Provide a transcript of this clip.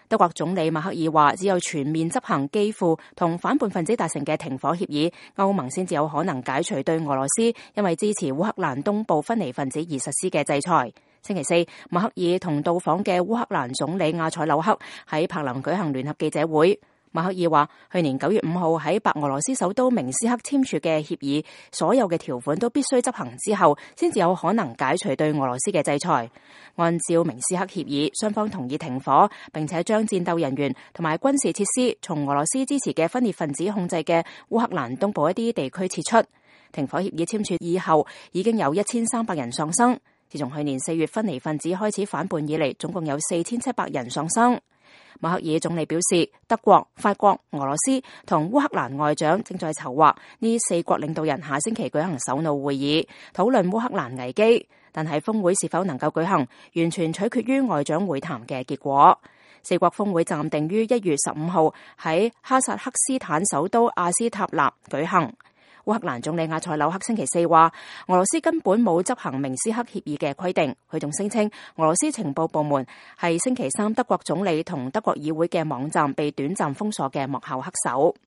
德國總理默克爾話，只有全面執行基輔同反叛分子達成嘅停火協議，歐盟先至有可能解除對俄羅斯因為支持烏克蘭東部分離分子而實施嘅制裁。星期四，默克爾同到訪嘅烏克蘭總理亞塞紐克喺柏林舉行聯合記者會。默克爾話，去年9月5號喺白俄羅斯首都明斯克簽署嘅協議，所有嘅條款都必須執行之後，先至有可能解除對俄羅斯嘅制裁。按照明斯克協議，雙方同意停火，並且將戰鬥人員同埋軍事設施從俄羅斯支持嘅分裂分子控制嘅烏克蘭東部一啲地區撤出。停火協議簽署以後，已經有1300人喪生。自從去年4月分離分子開始反叛以嚟，總共有4700人喪生。默克爾總理表示，德國、法國、俄羅斯同烏克蘭外長正在籌劃呢4國領導人下星期舉行首腦會議，討論烏克蘭危機。但係峰會是否能夠舉行，完全取決於外長會談嘅結果。4國峰會暫定於1月15號喺哈薩克斯坦首都阿斯塔納舉行。烏克蘭總理亞塞紐克星期四話，俄羅斯根本冇執行明斯克協議嘅規定。佢仲聲稱，俄羅斯情報部門係星期三德國總理同德國議會嘅網站被短暫封鎖嘅幕後黑手。